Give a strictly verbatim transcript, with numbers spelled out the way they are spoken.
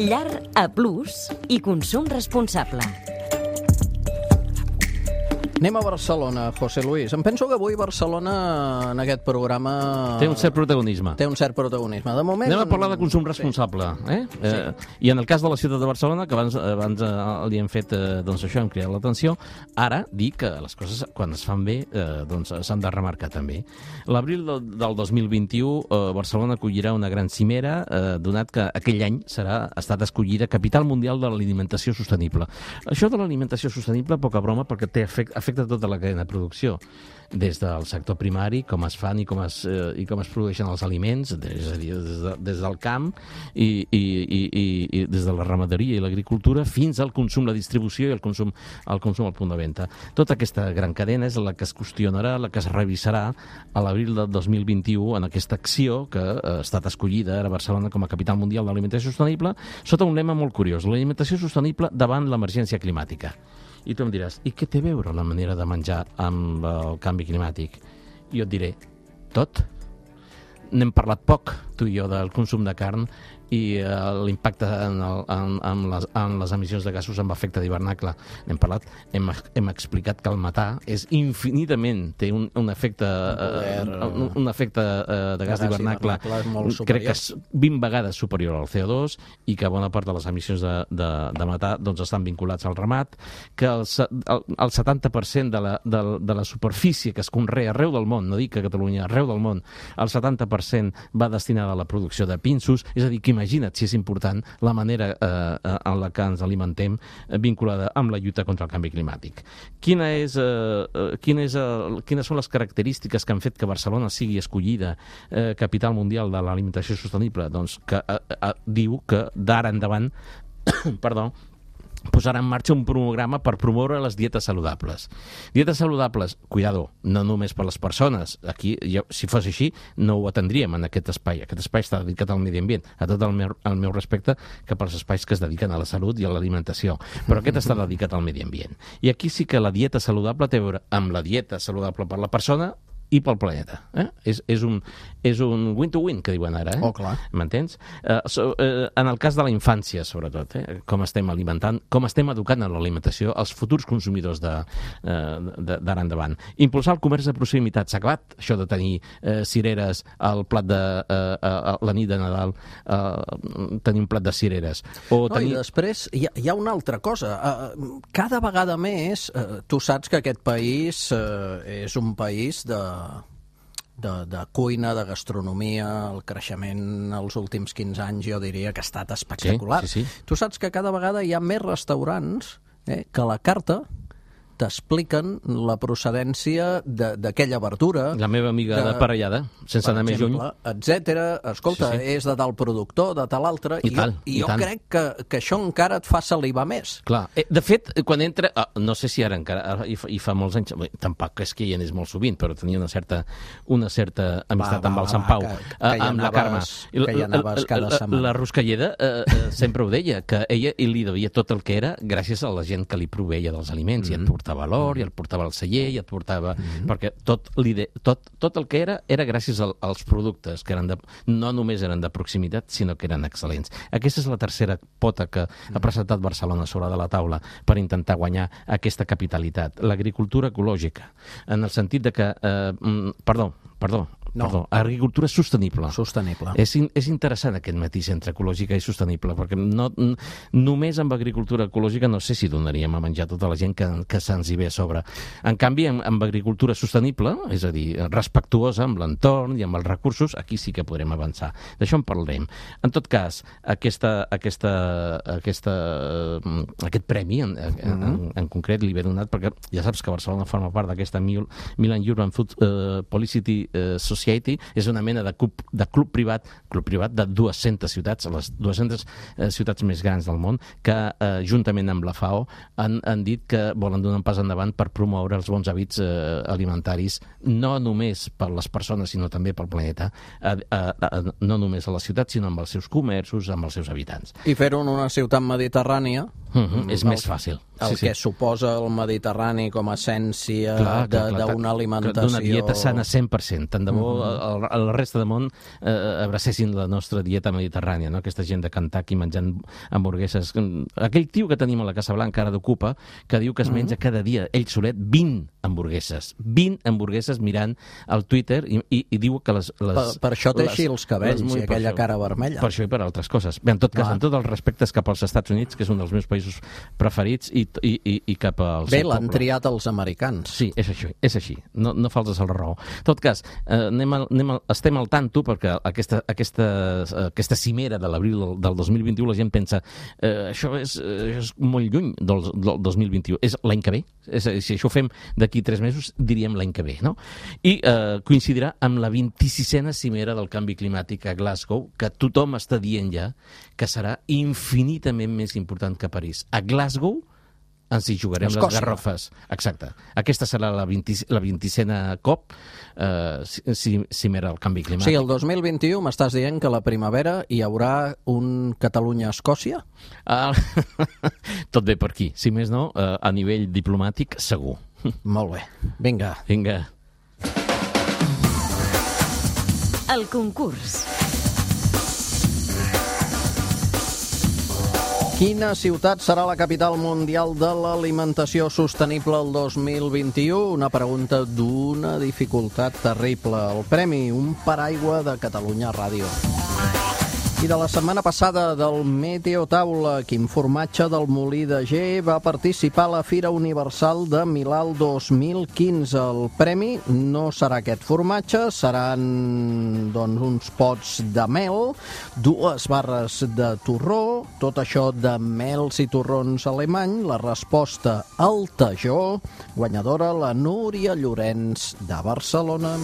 Llar A plus i consum responsable. Anem a Barcelona, José Luis. Em penso que avui Barcelona, en aquest programa... Té un cert protagonisme. Té un cert protagonisme. De moment... Anem a parlar de consum responsable. Sí. Eh? Sí. Eh, I en el cas de la ciutat de Barcelona, que abans, abans eh, li hem fet, eh, doncs això, hem cridat l'atenció, ara dir que les coses, quan es fan bé, eh, doncs s'han de remarcar també. L'abril del, del dos mil vint-i-u, eh, Barcelona acollirà una gran cimera, eh, donat que aquell any serà ha estat escollida Capital Mundial de l'Alimentació Sostenible. Això de l'alimentació sostenible, poca broma, perquè té efecte, afecta tota la cadena de producció, des del sector primari, com es fan i com es, eh, i com es produeixen els aliments, és a dir, des, de, des del camp i, i, i, i, i des de la ramaderia i l'agricultura fins al consum, la distribució i el consum, el consum al punt de venda. Tota aquesta gran cadena és la que es qüestionarà, la que es revisarà a l'abril del dos mil vint-i-u en aquesta acció que ha estat escollida ara a Barcelona com a Capital Mundial de l'Alimentació Sostenible sota un lema molt curiós: l'alimentació sostenible davant l'emergència climàtica. I tu em diràs, i què té a veure la manera de menjar amb el canvi climàtic? Jo et diré, tot. N'hem parlat poc, tu i jo, del consum de carn i uh, l'impacte en, el, en, en, les, en les emissions de gasos amb efecte d'hivernacle. N'hem parlat, hem, hem explicat que el metà és infinitament, té un, un efecte, uh, un, un efecte uh, de gas d'hivernacle, crec que és vint vegades superior al C O dos i que bona part de les emissions de, de, de metà doncs, estan vinculats al ramat, que el, el, el setanta per cent de la, de, de la superfície que es conrea arreu del món, no dic que a Catalunya, arreu del món, el setanta per cent va destinada a la producció de pinsos, és a dir, que imagina't si és important la manera eh, en la que ens alimentem eh, vinculada amb la lluita contra el canvi climàtic. Quina és, eh, quina és, eh, quines són les característiques que han fet que Barcelona sigui escollida eh, Capital Mundial de l'Alimentació Sostenible? Doncs que eh, eh, diu que d'ara endavant perdó, posarà en marxa un programa per promoure les dietes saludables. Dietes saludables, cuidado, no només per les persones. Aquí, jo, si fos així, no ho atendríem en aquest espai. Aquest espai està dedicat al medi ambient, a tot el meu, el meu respecte cap als espais que es dediquen a la salut i a l'alimentació. Però aquest està dedicat al medi ambient. I aquí sí que la dieta saludable té a veure amb la dieta saludable per la persona i pel planeta. Eh? És, és un és un win-to-win, que diuen ara. Eh? Oh, clar. M'entens? Uh, so, uh, en el cas de la infància, sobretot, eh? com estem alimentant, com estem educant en l'alimentació els futurs consumidors d'ara uh, endavant. Impulsar el comerç de proximitat. S'ha acabat això de tenir uh, cireres al plat de uh, uh, la nit de Nadal, uh, tenir un plat de cireres. O no, tenir... I després hi ha, hi ha una altra cosa. Uh, cada vegada més, uh, tu saps que aquest país uh, és un país de De, de cuina, de gastronomia, el creixement els últims quinze anys jo diria que ha estat espectacular. Sí, sí, sí. Tu saps que cada vegada hi ha més restaurants eh, que a la carta t'expliquen la procedència d'aquella verdura. La meva amiga de, de Parellada, sense anar més lluny. Etcètera. Escolta, sí, sí. És de tal productor, de tal altre, i, i, tal, jo, i, i jo tant. crec que, que això encara et fa salivar més. Clar. Eh, de fet, quan entra... Ah, no sé si ara encara, ara, i, fa, i fa molts anys, bé, tampoc és que hi anés molt sovint, però tenia una certa, una certa amistat va, va, amb el Sant Pau, va, que, que amb la Carme. Que hi anaves cada la, setmana. La Ruscalleda eh, eh, sempre ho deia, que ella li devia tot el que era gràcies a la gent que li proveia dels aliments, mm -hmm. i et portava valor, i et portava el celler, i et portava... Mm-hmm. Perquè tot, tot, tot el que era, era gràcies al, als productes, que eren de, no només eren de proximitat, sinó que eren excel·lents. Aquesta és la tercera pota que mm-hmm. ha presentat Barcelona sobre de la taula per intentar guanyar aquesta capitalitat. L'agricultura ecològica, en el sentit de que... Eh, perdó, perdó, No. Perdó, agricultura sostenible. Sostenible. És, in, és interessant aquest matís entre ecològica i sostenible, perquè no, n, només amb agricultura ecològica no sé si donaríem a menjar tota la gent que, que se'ns hi ve a sobre. En canvi, amb, amb agricultura sostenible, és a dir, respectuosa amb l'entorn i amb els recursos, aquí sí que podrem avançar. D'això en parlarem. En tot cas, aquesta, aquesta, aquesta, aquest premi en, en, en, en concret li ve donat perquè ja saps que Barcelona forma part d'aquesta Milan Urban Food uh, Publicity uh, Society, és una mena de club, de club privat, club privat de dues-centes ciutats, les dues-centes eh, ciutats més grans del món, que eh, juntament amb la FAO han, han dit que volen donar un pas endavant per promoure els bons hàbits eh, alimentaris, no només per les persones, sinó també pel planeta, eh, eh, no només a la ciutat, sinó amb els seus comerços, amb els seus habitants. I fer-ho en una ciutat mediterrània Mm-hmm, és el, més fàcil. El sí, que sí. suposa el Mediterrani com a essència d'una alimentació... D'una dieta sana cent per cent. Tant de bo mm-hmm. a la resta del món eh, abracessin la nostra dieta mediterrània, no? Aquesta gent de Kentucky menjant hamburgueses. Aquell tio que tenim a la Casa Blanca ara d'Ocupa, que diu que es menja mm-hmm. cada dia, ell solet, vint hamburgueses. vint hamburgueses mirant al Twitter i, i, i diu que les... les per, per això té així els cabells i aquella cara vermella. Per això i per altres coses. Bé, en tot cas, ah. en tots els respectes cap als Estats Units, que és un dels meus països preferits, i, i, i, i cap al Bé, l'han triat els americans. Sí, és així, és així. No, no faltes a la raó. En tot cas, eh, anem a, anem a, estem al tanto perquè aquesta, aquesta, aquesta cimera de l'abril del dos mil vint-i-u la gent pensa eh, això, és, eh, és molt lluny del, del dos mil vint-i-u. És l'any que ve. És, si això ho fem d'aquí tres mesos, diríem l'any que ve, no? I eh, coincidirà amb la vint-i-sisena cimera del canvi climàtic a Glasgow, que tothom està dient ja que serà infinitament més important que París. A Glasgow ens hi jugarem les garrofes. Exacte. Aquesta serà la vint-i-sena cop eh, cimera del canvi climàtic. Sí, el dos mil vint-i-u m'estàs dient que a la primavera hi haurà un Catalunya-Escòcia? Ah, tot bé per aquí. Si més no, eh, a nivell diplomàtic, segur. Molt bé. Vinga. Vinga. El concurs. Quina ciutat serà la capital mundial de l'alimentació sostenible el dos mil vint-i-u? Una pregunta d'una dificultat terrible. El premi, un paraigua de Catalunya Ràdio. I de la setmana passada del Meteo Taula, quin formatge del Molí de Ger va participar a la Fira Universal de Milà el dos mil quinze. El premi no serà aquest formatge, seran doncs, uns pots de mel, dues barres de torró, tot això de mels i torrons alemany. La resposta al Tajó, guanyadora la Núria Llorenç de Barcelona.